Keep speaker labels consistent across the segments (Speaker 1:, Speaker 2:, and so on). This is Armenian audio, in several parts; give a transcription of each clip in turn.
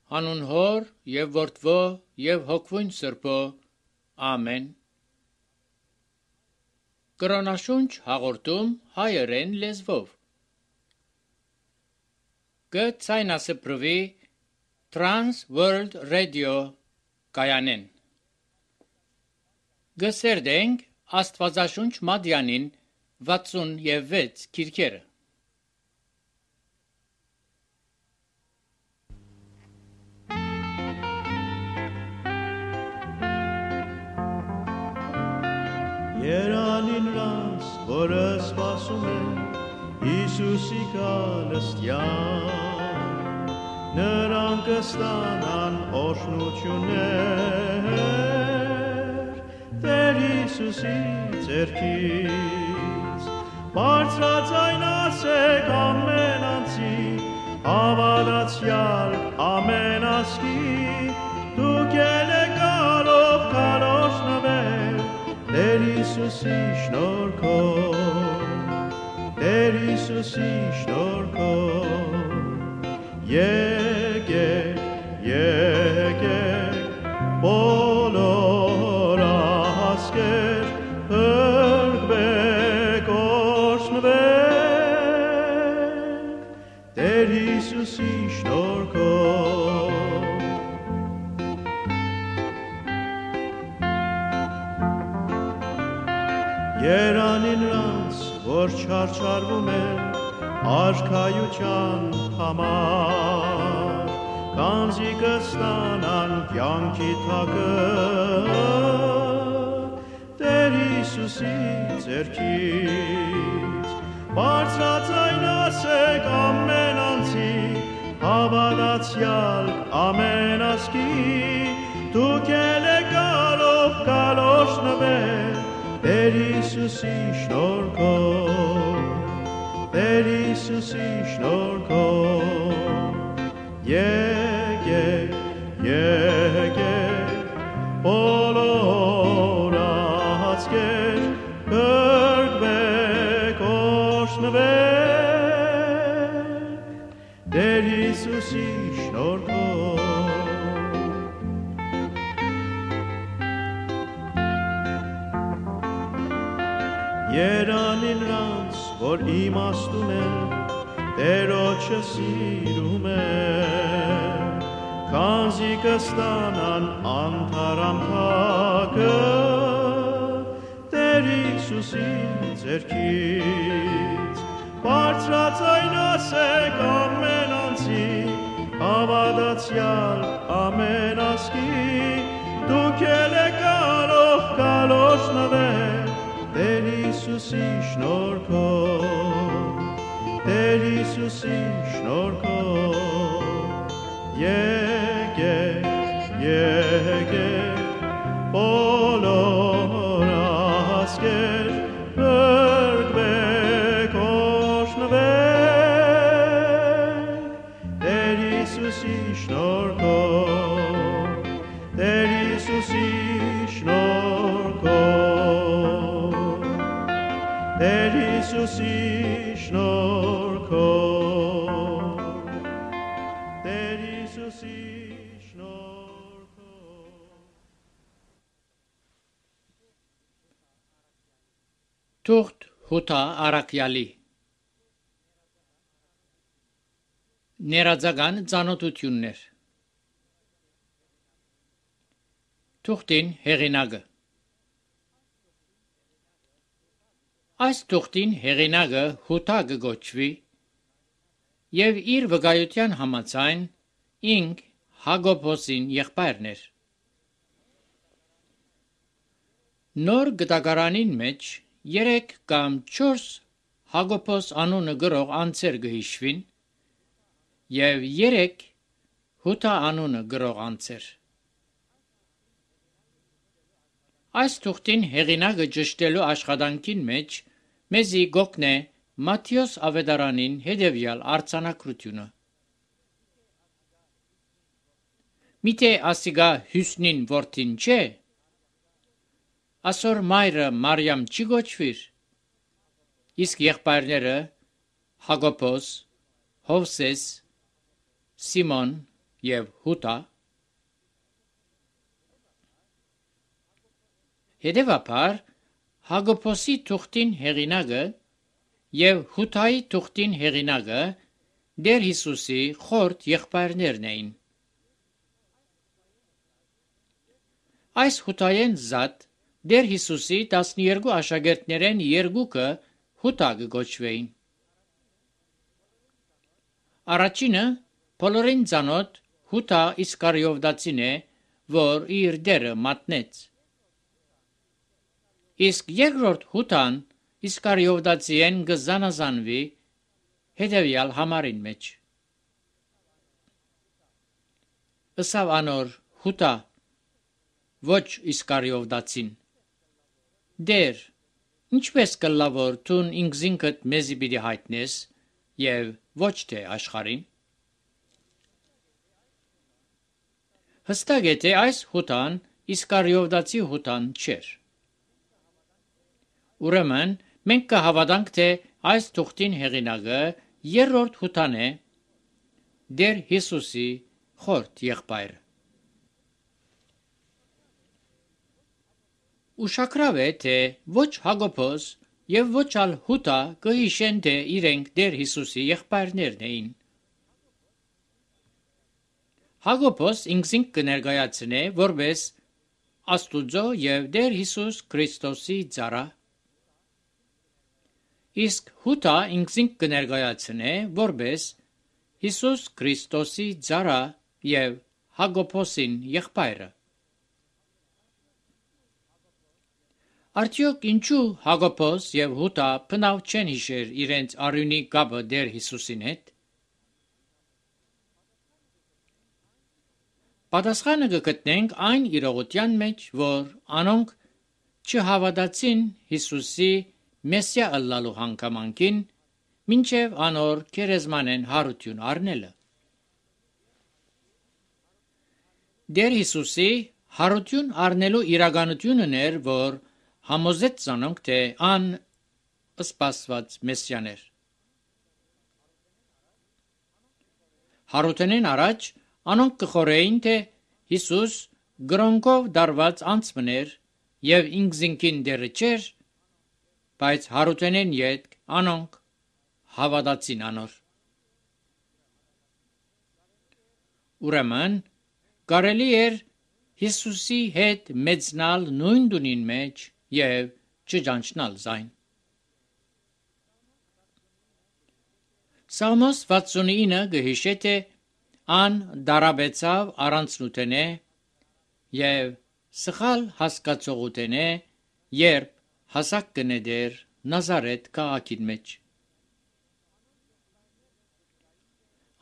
Speaker 1: Հանուն Հոր եւ Որդվո եւ Հոգվույն Սրբո, ամեն։ Կրոնաշունչ հաղորդում հայերեն լեզվով։ Գցայնասպրվի Trans World Radio կայանեն։ Գսերդենք Աստվածաշունչ Մադյանին 66 քիրքերը։
Speaker 2: Երանին րանց, որը սպասում է Հիսուսի գալստյան, նրանք կստանան օրհնություններ Տեր Հիսուսի ձեռքից, բարձրաձայն ասեք ամեն անձի, հավատացյալ ամեն ազգի, դուք ելեք գալով գալոշնվել Տեր Հիսուսի շնորհքով, Տեր Հիսուսի շնորհքով, եկեք, եկեք, բոլոր ազգեր, փրկվեք, օրհնվեք, Տեր Հիսուսի շնորհքով։ Երանին նրանց, որ չարչարվում են արքայության համար, կանձի կստանան կյանքի թակը Տեր Հիսուսի ձեռքից, բարձրաձայն ասեք ամեն անձի, հավատացյալ ամեն ազգի, դուք ելեք գալով գալոշնվել Տեր Հիսուսի շնորհքով, Տեր Հիսուսի շնորհքով, եկեք, եկեք, բոլոր ազգեր, փրկվեք, օրհնվեք, Տեր Հիսուսի շնորհքով։ Երանին նրանց, որ իմաստուն են, Տերոջը սիրում են, քանզի կստանան անթարամ թակը Տեր Հիսուսի ձեռքից, բարձրաձայն ասեք ամեն անձի, հավատացյալ ամեն ազգի, դուք ելեք գալով գալոշնվել Տեր Հիսուսի շնորհքով, Տեր Հիսուսի շնորհքով, եկեք, եկեք, բոլոր ազգեր, փրկվեք, օրհնվեք, Տեր Հիսուսի շնորհքով, Տեր Հիսուսի շնորհքով, Տեր Հիսուսի շնորհքով, Տեր Հիսուսի շնորհքով։
Speaker 1: Թուղթ Հութա Արաքյալի Ներածական ծանոթություններ Թուղթին հեղինակը Այս թուղթին հեղինակը Հութա կգոչվի եւ իր վկայության համաձայն ինք Հակոբոսին եղբայրն էր։ Նոր գտակարանին մեջ 3 կամ 4 Հակոբոս անունը գրող անձեր կհիշվին եւ 3 Հութա անունը գրող անձեր։ Այս թուղթին հեղինակը ճշտելու աշխատանքին մեջ մեզի գոկնե Մատթեոս ավետարանին հետևյալ արձանագրությունը։ Միթե ասիգա Հյուսնին որդին չէ, ասոր մայրը Մարիամ չի գոչվիր, իսկ եղբայրները Հակոբոս, Հովսես, Սիմոն եւ Հուտա։ Հետևաբար Հակոբոսի թուղթին հեղինակը եւ Հուտայի թուղթին հեղինակը Տեր Հիսուսի խորտ եղբայրներն էին։ Այս Հուտայեն զատ Տեր Հիսուսի 12 աշակերտներեն երկուքը Հուտա կոչվեին։ Առաջինը բոլորին ծանոթ Հուտա Իսկարիովտացին է, որ իր դերը մատնեց։ Իսկ երկրորդ Հուտան Իսկարիովտացիեն կզանազանվի հետևյալ համարին մեջ։ Ըսավ անոր Հուտա, ոչ Իսկարիովտացին. Դեր, ինչպես կլավոր տուն ինքզինքդ մեզի պիտի հայտնես եւ ոչ թե աշխարհին։ Հստակ է, թե այս Հուտան Իսկարիովտացի Հուտան չէր։ Ուրեմն մենք կհավատանք, թե այս թուղթին հեղինակը երրորդ Հուտան է, Տեր Հիսուսի խորտ եղբայրը։ Ուշագրավ է, թե ոչ Հակոբոս եւ ոչ ալ Հուտա կհիշեն, թե իրենք Տեր Հիսուսի եղբայրներն էին։ Հակոբոս ինքզինք կներկայացնե որպես Աստուծո եւ Տեր Հիսուս Քրիստոսի ծառա, իսկ Հուտա ինքզինք կներկայացնե որպես Հիսուս Քրիստոսի ծառա եւ Հակոբոսին եղբայրը։ Արդյոք ինչու Հակոբոս եւ Հուտա բնավ չեն հիշեր իրենց արյունի կապը Տեր Հիսուսին հետ։ Պատասխանը կգտնենք այն իրողության մեջ, որ անոնք չհավատացին Հիսուսի Մեսիա ըլլալու հանգամանքին, մինչև անոր քերեզմանեն հարություն առնելը։ Տեր Հիսուսի հարություն առնելու իրականությունն էր, որ համոզեց անոնք, թե ան սպասված Մեսիան էր։ Հարութենեն առաջ անոնք կխորեին, թե Հիսուս գրոնկով դարված անցմներ եւ ինքզինքին դերը չէր, բայց հարութենեն յետ անոնք հավատացին անոր։ Ուրեմն կարելի էր Հիսուսի հետ մեծնալ նույն դունին մեջ եւ չճանչնալ զայն։ Սաղմոս 69 գհիշե, թե ան դարաբեցավ առանցնութենե եւ սխալ հասկացողութենե, երբ հասակ կնեդեր Նազարեթ քաղաքին մեջ։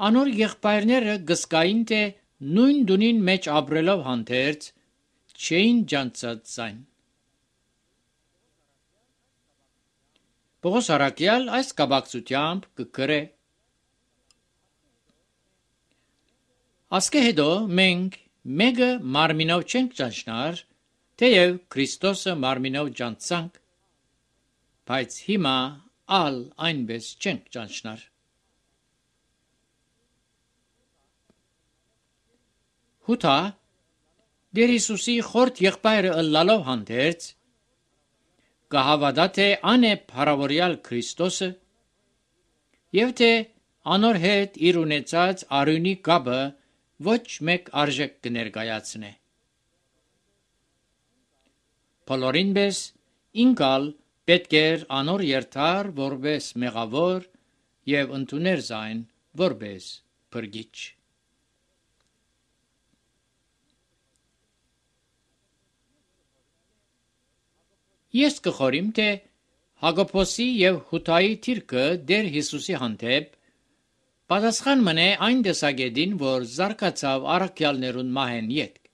Speaker 1: Անոր եղբայրները գսկային, թե նույն դունին մեջ ապրելով հանդերձ չէին ջանցած զայն։ Պողոս առաքյալ այս կապակցությամբ կգրե. Ասկե հետո մենք մեկը մարմինով չենք ճանչնար, թեև Քրիստոսը մարմինով ճանցանք, բայց հիմա ալ այնպես չենք ճանչնար։ Հուտա Տեր Հիսուսի խորտ եղբայրը ըլլալով հանդերձ կհավատա, թե ան է փառավորյալ Քրիստոսը եւ թե անոր հետ իր ունեցած արյունի կապը ոչ մեկ արժեք կներկայացնե։ Բոլորին պես ինքալ պետք էր անոր երթար որպես մեղավոր եւ ընդուներ զայն որպես փրկիչ։ Ես կխորիմ, թե Հակոբոսի եւ Հուտայի թիրքը Տեր Հիսուսի հանդեպ պատասխան մնե այն տեսակետին, որ զարգացավ առաքյալներուն մահեն ետք։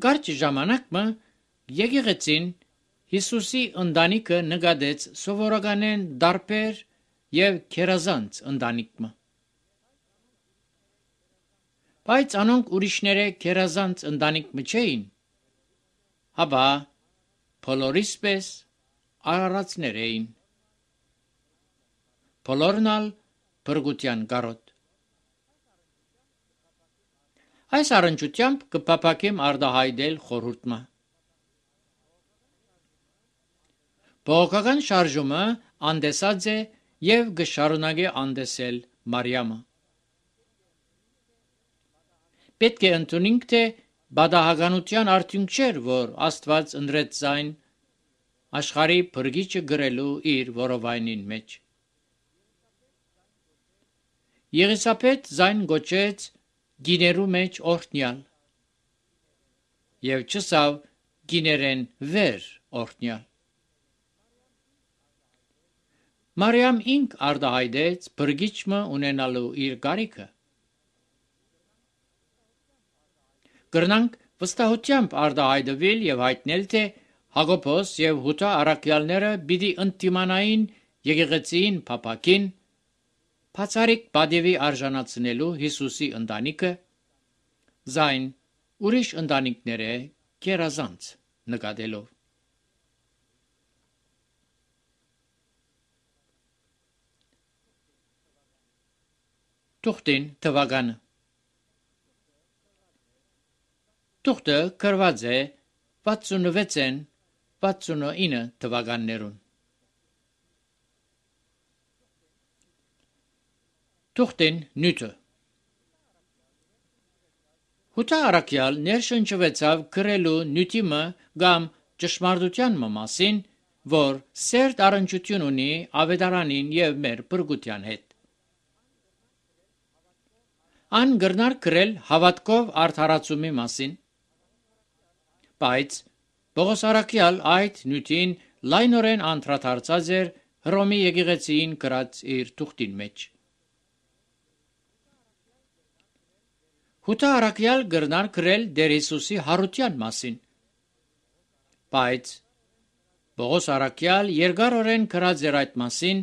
Speaker 1: Կարճ ժամանակը եկեղեցին Հիսուսի ընտանիքը նկատեց սովորականեն դարբեր եւ քերազանց ընտանիքը։ Բայց անոնք ուրիշները քերազանց ընտանիքը չէին, հապա բոլորիսպես արարածներ էին։ Բոլորն ալ փրկության կարոտ։ Այս առնչությամբ կփափակեմ արդահայտել խորհուրդը։ Բողոքական շարժումը անդեսած է եւ կշարունակի անդեսել Մարիամը։ Պետք է ընդունենք, թե բադահականության արդյունք չէր, որ Աստված ընտրեց զայն աշխարհի փրկիչը գրելու իր որովայնին մեջ։ Եղիսաբեթ զայն գոչեց գիներու մեջ օրհնյալ եւ չսավ գիներեն վեր օրհնյալ։ Մարիամ ինք արդահայտեց փրկիչը ունենալու իր կարիքը։ Կրնանք վստահությամբ արդահայտվել եւ հայտնել, թե Հակոբոս եւ Հութա առաքյալները պիտի ընդդիմանային եկեղեցին փափակին, բացարիք բադևի արժանացնելու Հիսուսի ընտանիքը, զայն ուրիշ ընտանիքները կերազանց նկատելով։ Թուղթին թվականը Թուղթը գրված է 66-ին 69 թվականներուն։ Թուղթին նյութը Հութա առաքյալ ներշնչվեցավ գրելու նյութիմը կամ ճշմարտության մասին, որ սերտ առնչություն ունի ավետարանին եւ մեր բրգության հետ։ Ան գրնար գրել հավատքով արդարացումի մասին, բայց Պողոս առաքյալ այդ նյութին լայնորեն անդրադարձած էր Հռոմի եկեղեցիին գրած իր թուղթին մեջ։ Հութա առաքյալ գրնար գրել Տեր Հիսուսի հարության մասին, բայց Պողոս առաքյալ երկարորեն գրած էր այդ մասին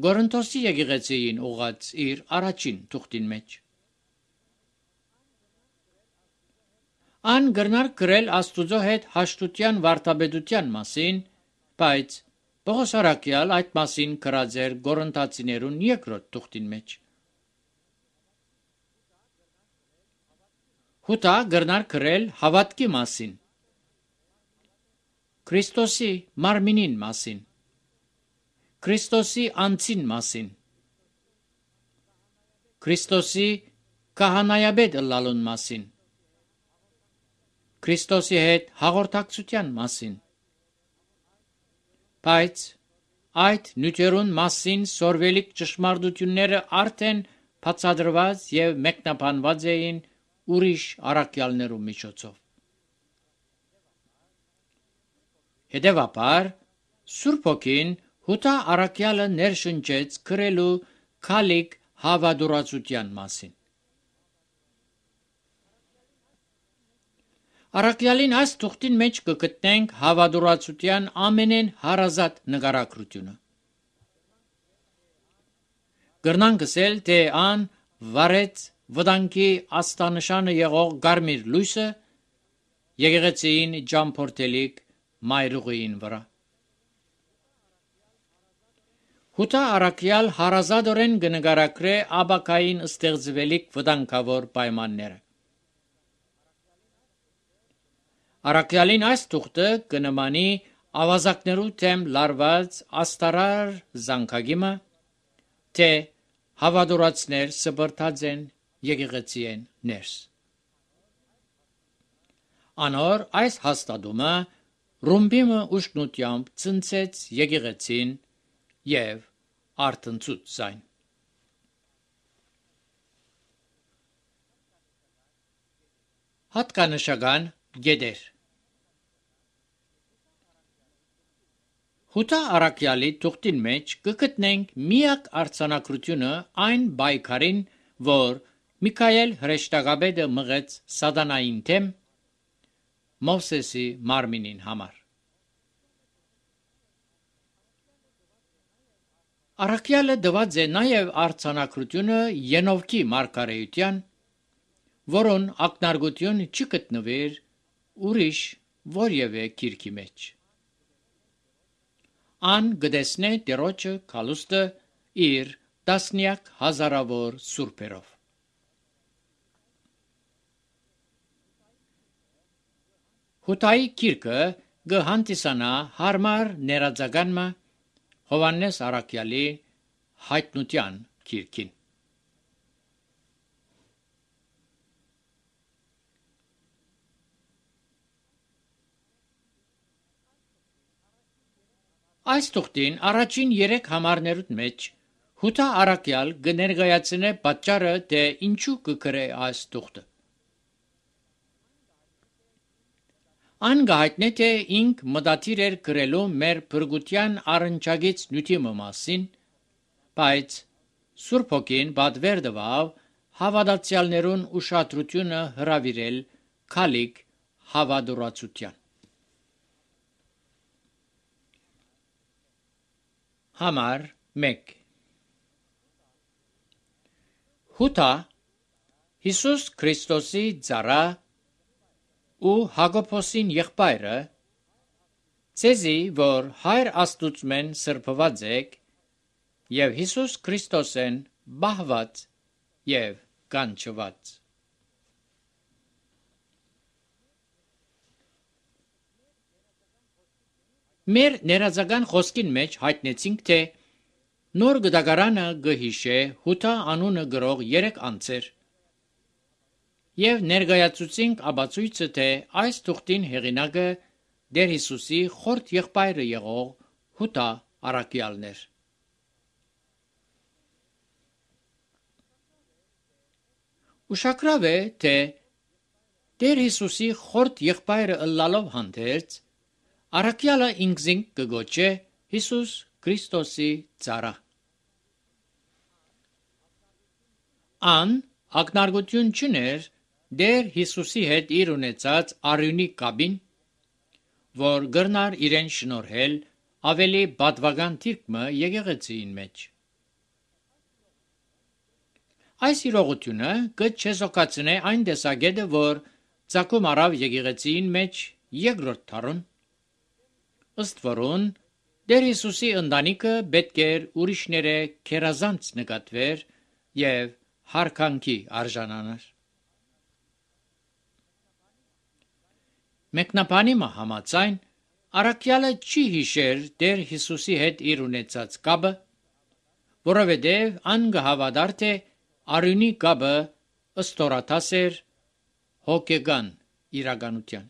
Speaker 1: Կորինթոսի եկեղեցիին ուղղած իր առաջին թուղթին մեջ։ Ան գրնար գրել Աստուծո հետ հաշտության վարդապետության մասին, բայց Պողոս առաքյալ այդ մասին գրած էր Կորինթացիներուն երկրորդ թուղթին մեջ։ Հութա գրնար գրել հավատքի մասին, Քրիստոսի մարմինին մասին, Քրիստոսի անձին մասին, Քրիստոսի քահանայապետ ըլլալուն մասին, Քրիստոսի հետ հաղորդակցության մասին, բայց այդ նյութերուն մասին սորվելիք ճշմարտությունները արդեն բացատրված եւ մեկնաբանված էին ուրիշ առաքյալներու միջոցով։ Հետևաբար Սուրբ Հոգին Հութա առաքյալը ներշնչեց գրելու քալիք հավատուրացության մասին։ Առաքյալին այս թուղթին մեջ կգտնենք հավատուրացության ամենեն հարազատ նկարագրությունը։ Կրնանք ասել, թե ան վարեց վտանգի աստանշանը եղող գարմիր լույսը եկեղեցիին ճամփորդելիք մայրուղիին վրա։ Հութա առաքյալ հարազատորեն կնկարագրե ապակային ստեղծվելիք վտանգավոր պայմանները։ Առաքյալին այս թուղթը կնմանի ավազակներու թեմ լարված աստարար զանգագիմը, թե հավատուրացներ սպրտած են եկեղեցիեն ներս։ Անոր այս հաստատումը ռումբիմը ուշնությամբ ցնցեց եկեղեցին եւ արտնցուց զայն։ Հատկանշական գեդեր Հութա առաքյալի թուղթին մեջ կգտնենք միակ արձանագրությունը այն բայկարին, որ Միքայել հրեշտակապետը մղեց սատանային թեմ Մովսեսի մարմինին համար։ Առաքյալը դված է նաև արձանագրությունը Ենովքի մարգարեության, որոն ակնարկություն չի գտնվեր ուրիշ որևէ գիրքի մեջ։ Ան գտեսնե Տերոջը քալուստը իր տասնյակ հազարավոր սուրբերով։ Հութայի գիրքը գհանդիսանա հարմար ներածականմը Հովաննես Արաքյալի հայտնության գիրքին։ Այս թուղթին առաջին 3 համարներուտ մեջ Հութա Արաքյալ կներկայացնե պատճառը, թե ինչու կգրե այս թուղթը։ Ան գահիտնե թե ինք մտադիր էր գրելու մեր փրկության առնչագից նյութի մասին, բայց Սուրբ Հոգին պատվեր տվավ հավատացյալներուն ուշադրությունը հրավիրել քալիք հավատուրացության։ Համար 1 Հութա Հիսուս Քրիստոսի ծառա ու Հակոբոսին եղբայրը ցեզի որ Հայր Աստուծմեն սրբված եք եւ Հիսուս Քրիստոսեն բահված եւ կանչված։ Մեր ներածական խոսքին մեջ հայտնեցինք, թե նոր գդագարանը գհիշե Հութա անունը գրող 3 անձեր եւ ներկայացուցինք ապացույցը, թե այս թուղթին հեղինակը Տեր Հիսուսի խորտ եղբայրը եղող Հութա Արաքյալն էր։ Ուշագրավ է, թե Տեր Հիսուսի խորտ եղբայրը ըլլալով հանդերձ Արաքյալը ինքզին կգոչե Հիսուս Քրիստոսի ծառա։ Ան ակնարկություն չուներ Տեր Հիսուսի հետ իր ունեցած արյունի կապին, որ գրնար իրեն շնորհել ավելի պատվական թիրքմը եկեղեցին մեջ։ Այս իրողությունը կչեզոքացնե այն տեսակետը, որ ցակում արավ եկեղեցին մեջ երկրորդ դարուն, ըստ որուն Տեր Հիսուսի ընտանիքը պետք էր ուրիշները քերազանց նկատվեր եւ հարկանքի արժանանար։ Մեկնաբանի համաձայն Արաքյալը չի հիշեր Տեր Հիսուսի հետ իր ունեցած կապը, որովհետև ան գհավատար թե արյունի կապը ըստորաթաս էր հոգեգան իրականության։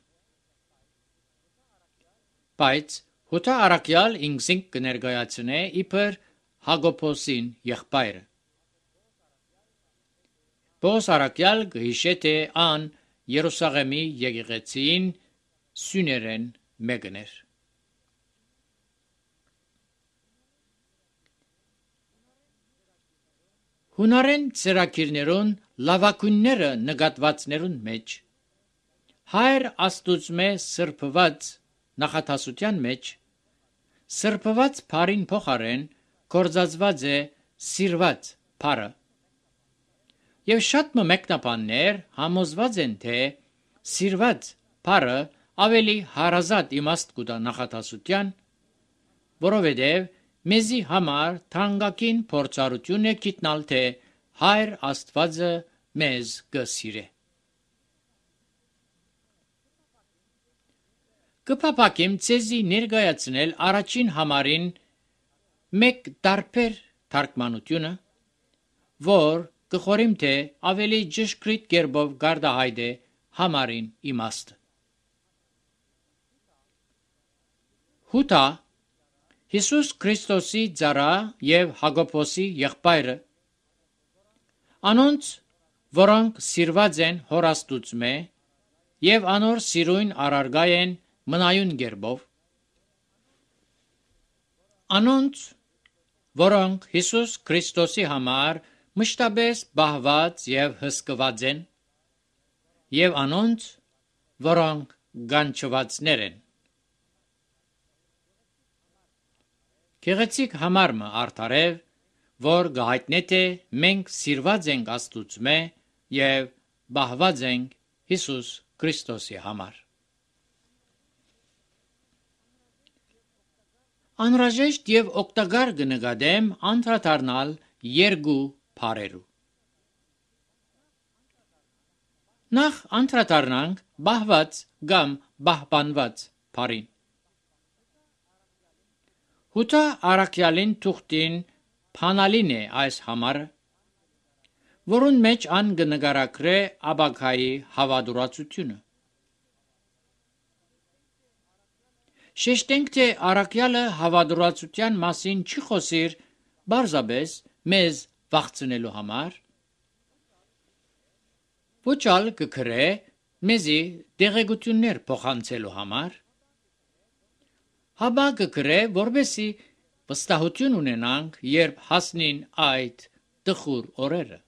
Speaker 1: Բայց Հութա Արաքյալ ինքզին կներկայացնե իբր Հակոբոսին եղբայրը։ Պողոս Արաքյալ կհիշե, թե ան Երուսաղեմի եկեղեցին սյուներեն մեկն էր։ Հունարեն ծրագիրներուն լավագույնները նկատվածներուն մեջ Հայր Աստուծմե սրբված նախատասության մեջ սրբված բարին փոխարեն կորզածված է սիրված բարը եւ շատ մեկնաբաններ համոզված են, թե սիրված բարը ավելի հարազատ իմաստ կուտա նախատասության, որովհետեւ մեզի համար թանկագին փորձառություն է գիտնալ, թե Հայր Աստվածը մեզ կսիրե։ Կփափակեմ ցեզի ներկայացնել առաջին համարին մեկ տարբեր թարգմանությունը, որ կխորիմ թե ավելի ճշգրիտ կերպով գարդահայտե համարին իմաստը։ Հութա Հիսուս Քրիստոսի ծառա եւ Հակոբոսի եղբայրը անոնց, որոնք սիրված են Հոր Աստուծմե եւ անոր սիրուն արարգայ են մնայուն գերբով, անոնց, որոնք Հիսուս Քրիստոսի համար մշտապես բահված եւ հսկված են, եւ անոնց, որոնք գանչվածներ են։ Գեղեցիկ համարը արդարև, որ գահիտնե թե մենք սիրված ենք Աստուծմե եւ բահված ենք Հիսուս Քրիստոսի համար։ Անհրաժեշտ եւ օգտակար կնկատեմ անդրադառնալ երկու բառերու։ Նախ անդրադառնանք բահված կամ բահբանված բառին։ Հութա առաքյալին թուղթին փանալին է այս համարը, որուն մեջ ան կնկարագրե աբակայի հավատուրացությունը։ Շեշտենք, թե առաքյալը հավատուրացության մասին չի խոսիր բարձաբես մեզ վախցնելու համար, ոչ ալ կգրե մեզի դեղեցություններ փոխանցելու համար, հաբա կգրե, որբեսի վստահություն ունենանք, երբ հասնին այդ տխուր օրերը։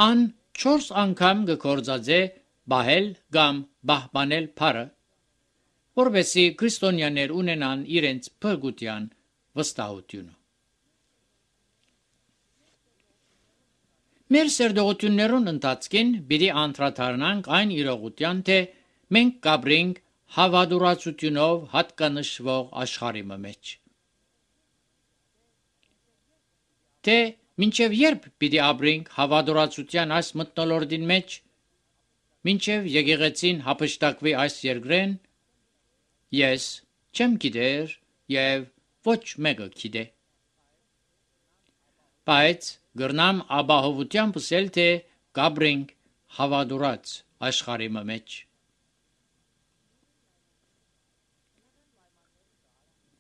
Speaker 1: Ան 4 անգամ կգործածե բահել կամ բահբանել բառը, որբեսի քրիստոնյաներ ունենան իրենց փրկության վստահությունը։ Մեր սերտողություններուն ընթացքին պիտի անդրադառնանք այն իրողության, թե մենք կապրենք հավատուրացությունով հատկանշվող աշխարհի մեջ։ Թե մինչև երբ պիտի ապրենք հավատուրացության այս մթնոլորտին մեջ, մինչև եկեղեցին հափշտակվի այս երկրեն, ես չեմ գիտեր եւ ոչ մեկը գիտե։ Բայց գրնամ ապահովությամբ ասել, թե կապրենք հավատուրած աշխարհի մեջ։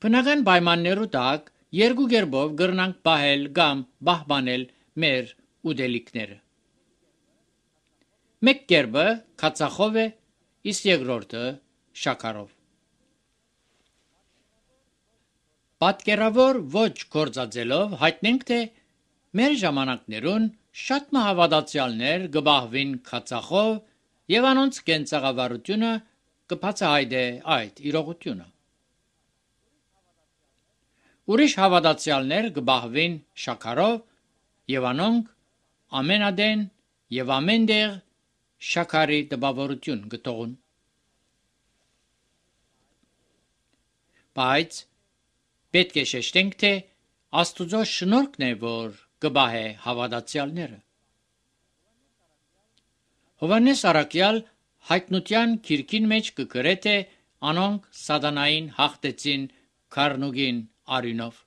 Speaker 1: Բնական պայմաններու տակ երկու կերպով գրնանք պահել կամ պահպանել մեր ուտելիքները։ Մեկ կերպը քացախով է, իսկ երկրորդը շաքարով։ Պատկերավոր ոչ գործածելով հայտնենք, թե մեր ժամանակներուն շատ մահավատացյալներ կբահվին քացախով եւ անոնց կենցաղավարությունը կբացահայտե այդ իրողությունը։ Ուրիշ հավատացյալներ կբահվին շաքարով եւ անոնք ամենադեն եւ ամենտեղ շաքարի տպավորություն կտողուն։ Բայց պետք է շեշտենք, թե Աստուծո շնորհքն է, որ կբահե հավատացյալները։ Հովհաննես առաքյալ հայտնության քիրքին մեջ կգրե, թե անոնք սատանային հաղթեցին քառնուգին արյունով։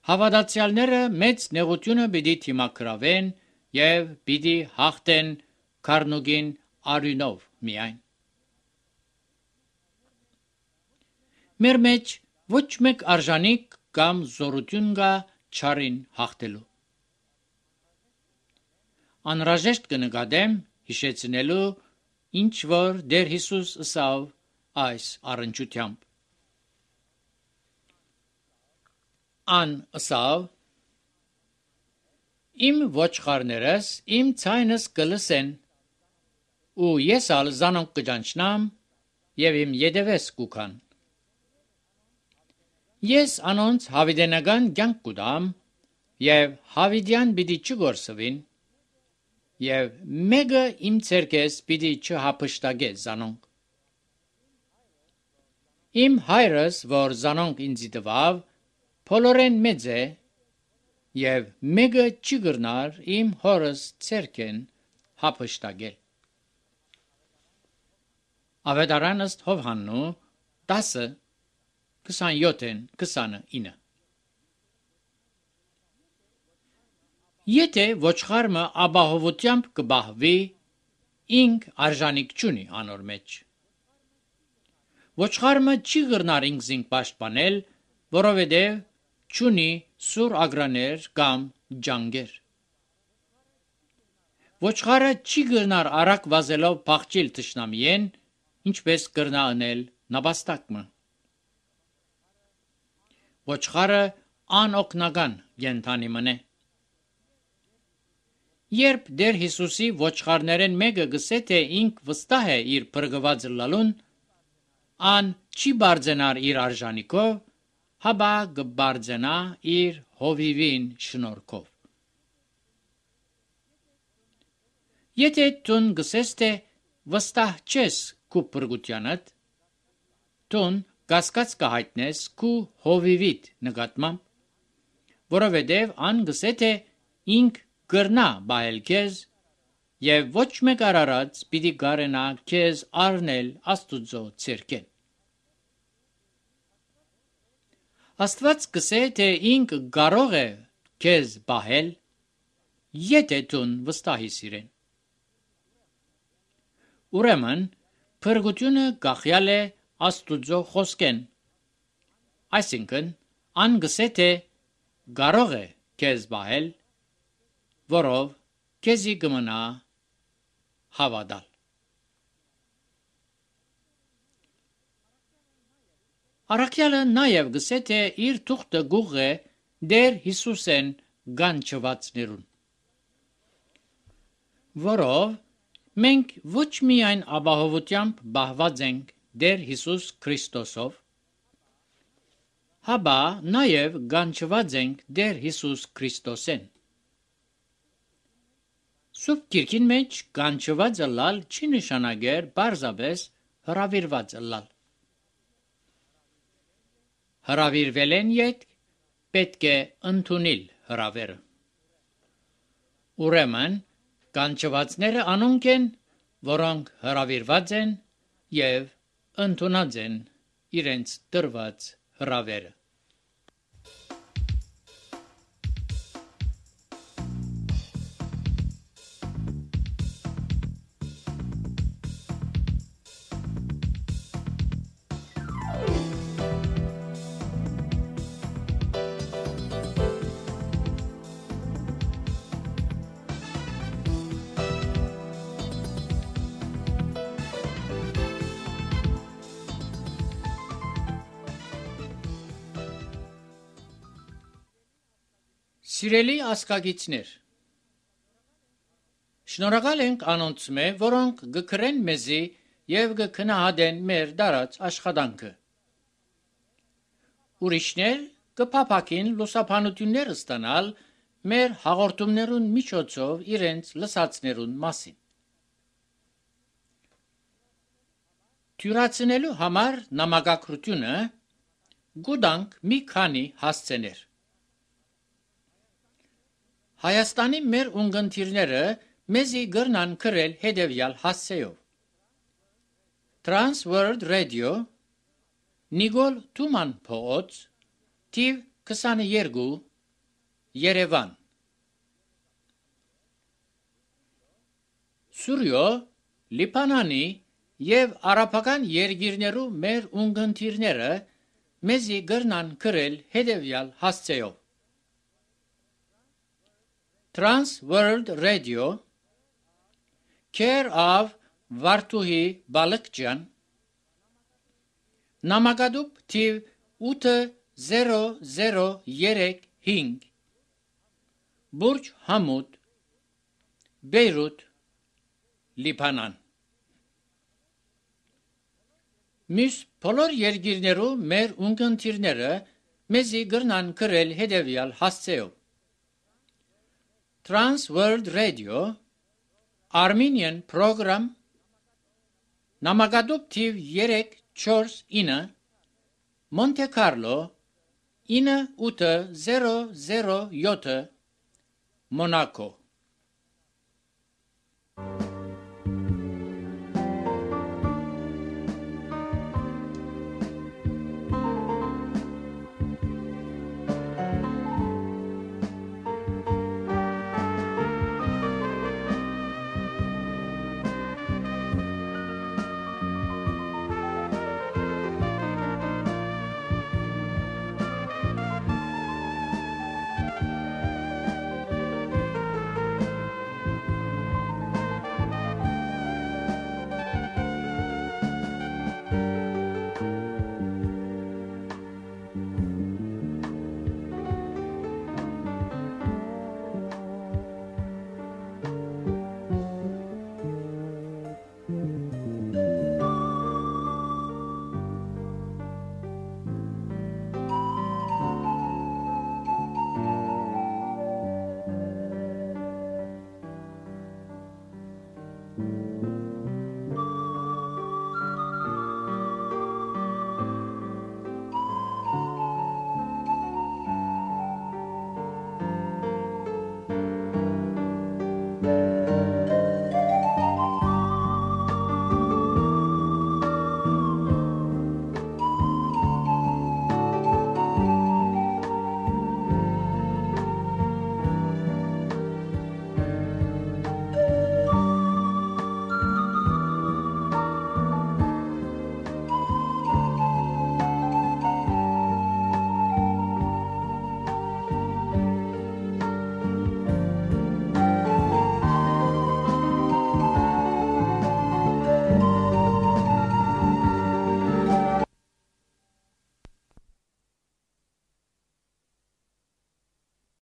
Speaker 1: Հավատացյալները մեծ նեղությունը պիտի թիմակրավեն եւ պիտի հաղթեն քառնուգին արյունով միայն։ Մեր մեջ ոչ մեկ արժանիք կամ զորություն կա չարին հաղթելու։ Անհրաժեշտ կնկատեմ հիշեցնելու, ինչ որ Տեր Հիսուս ըսավ այս առնչությամբ։ Ան ըսավ. Իմ ոչխարներս իմ ցայնս կլսեն, ու ես ալ զանոնք կճանչնամ եւ իմ յետևես կուքան։ Ես անոնց հավիտենական կյանք կուտամ եւ հավիտյան պիտի չգործվին եւ մեկը իմ ցերկես պիտի չհափշտակե զանոնք։ Իմ հայրս, որ զանոնք ինձի տվավ, փոլորեն մեծ է եւ մեկը չի գրնար իմ հորս ցերկեն հափշտակել։ Ավետարան ըստ Հովհաննու 10:27-29։ Եթե ոչխարը ապահովությամբ կբահվի, ինք արժանիք չունի անոր մեջ։ Ոչխարը չի գրնար ինքզին պաշտպանել, որովհետև չունի սուր ագրաներ կամ ջանգեր։ Ոչխարը չի գրնար արագ վազելով փախչիլ թշնամիեն, ինչպես կրնա անել նապաստակը։ Ոչխարը անօգնական կենդանի մնե։ Երբ Տեր Հիսուսի ոչխարներեն մեկը գսե, թե ինք վստահ է իր փրկված լալուն, ան չի բարձենար իր արժանիքով, հաբա կբարձենա իր հովիվին շնորհքով։ Եթե տուն գսես, թե վստահ չես քու փրկությանդ, տուն կասկած կհայտնես քու հովիվիդ նկատմամբ, որովհետև ան գսե, թե ինք գրնա բայել քեզ եւ ոչ մեկ արարած պիտի գարենա քեզ առնել Աստուծո ցերկեն։ Աստված կսե թե ինք կարող է քեզ բահել, եթե դու վստահիս իրեն։ Ուրեմն փրկությունը գախյալ է Աստուծո խոսքեն, այսինքն ան գսե թե կարող է քեզ բահել, որով քեզի կմնա հավատալ։ Առաքյալը նաև գսե թե իր թուղթը գուղ է Տեր Հիսուսեն գանչվածներուն, որով մենք ոչ միայն ապահովությամբ բահված ենք Տեր Հիսուս Քրիստոսով, հաբա նաև գանչված ենք Տեր Հիսուս Քրիստոսեն։ Սուրբ Գիրքին մեջ գանչված ըլլալ չի նշանակեր պարզապես հրավիրված ըլլալ։ Հրավիրվել են յետ պետք է ընդունել հրավերը։ Ուրեմն գանչվածները անոնք են, որոնք հրավիրված են եւ ընդունած են իրենց տրված հրավերը։ Սիրելի ասկագիցներ, շնորհակալ ենք անոնց մե, որոնք գկրեն մեզի եւ գքնահատեն մեր դարած աշխատանքը։ Ուրիշներ կփափակին լուսաբանություններ ստանալ մեր հաղորդումներուն միջոցով իրենց լսածներուն մասին։ Թյուրացնելու համար նամակագրությունը գուտանք մի քանի հասցեներ։ Հայաստանի մեր ունգընտիրները մեզի գրնան քրել հետևյալ հասցեով։ Trans World Radio, Նիգոլ Թուման փողոց, թիվ 22, Երևան։ Սուրյո, Լիբանանի եւ արաբական երկիրներու մեր ունգընտիրները մեզի գրնան քրել հետևյալ հասցեով։ Trans World Radio, Care of Վարդուհի Բալկջյան, Նամակադուբ թիվ 8035, Բուրջ Համուդ, Բեյրութ, Լիբանան։ Մյուս բոլոր երկիրներու մեր ունգընտիրները մեզի գրնան քրել հետևյալ հասցեով։ Trans World Radio, Armenian Program, Նամակադուբ թիվ 349, Monte Carlo, 9807, Monaco։